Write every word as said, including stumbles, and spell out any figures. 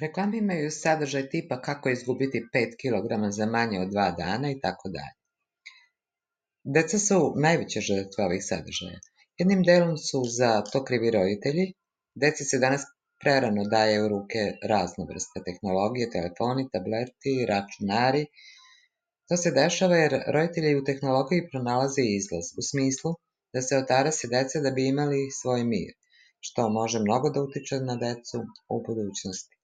Reklame imaju sadržaj tipa kako izgubiti pet kilograma za manje od dva dana i tako dalje. Deca su najveće žrtve ovih sadržaja. Jednim delom su za to krivi roditelji. Deci se danas prerano daje u ruke razne vrste tehnologije, telefoni, tableti, računari. To se dešava jer roditelji u tehnologiji pronalaze izlaz, u smislu da se otarasi deca da bi imali svoj mir, što može mnogo da utiče na decu u budućnosti.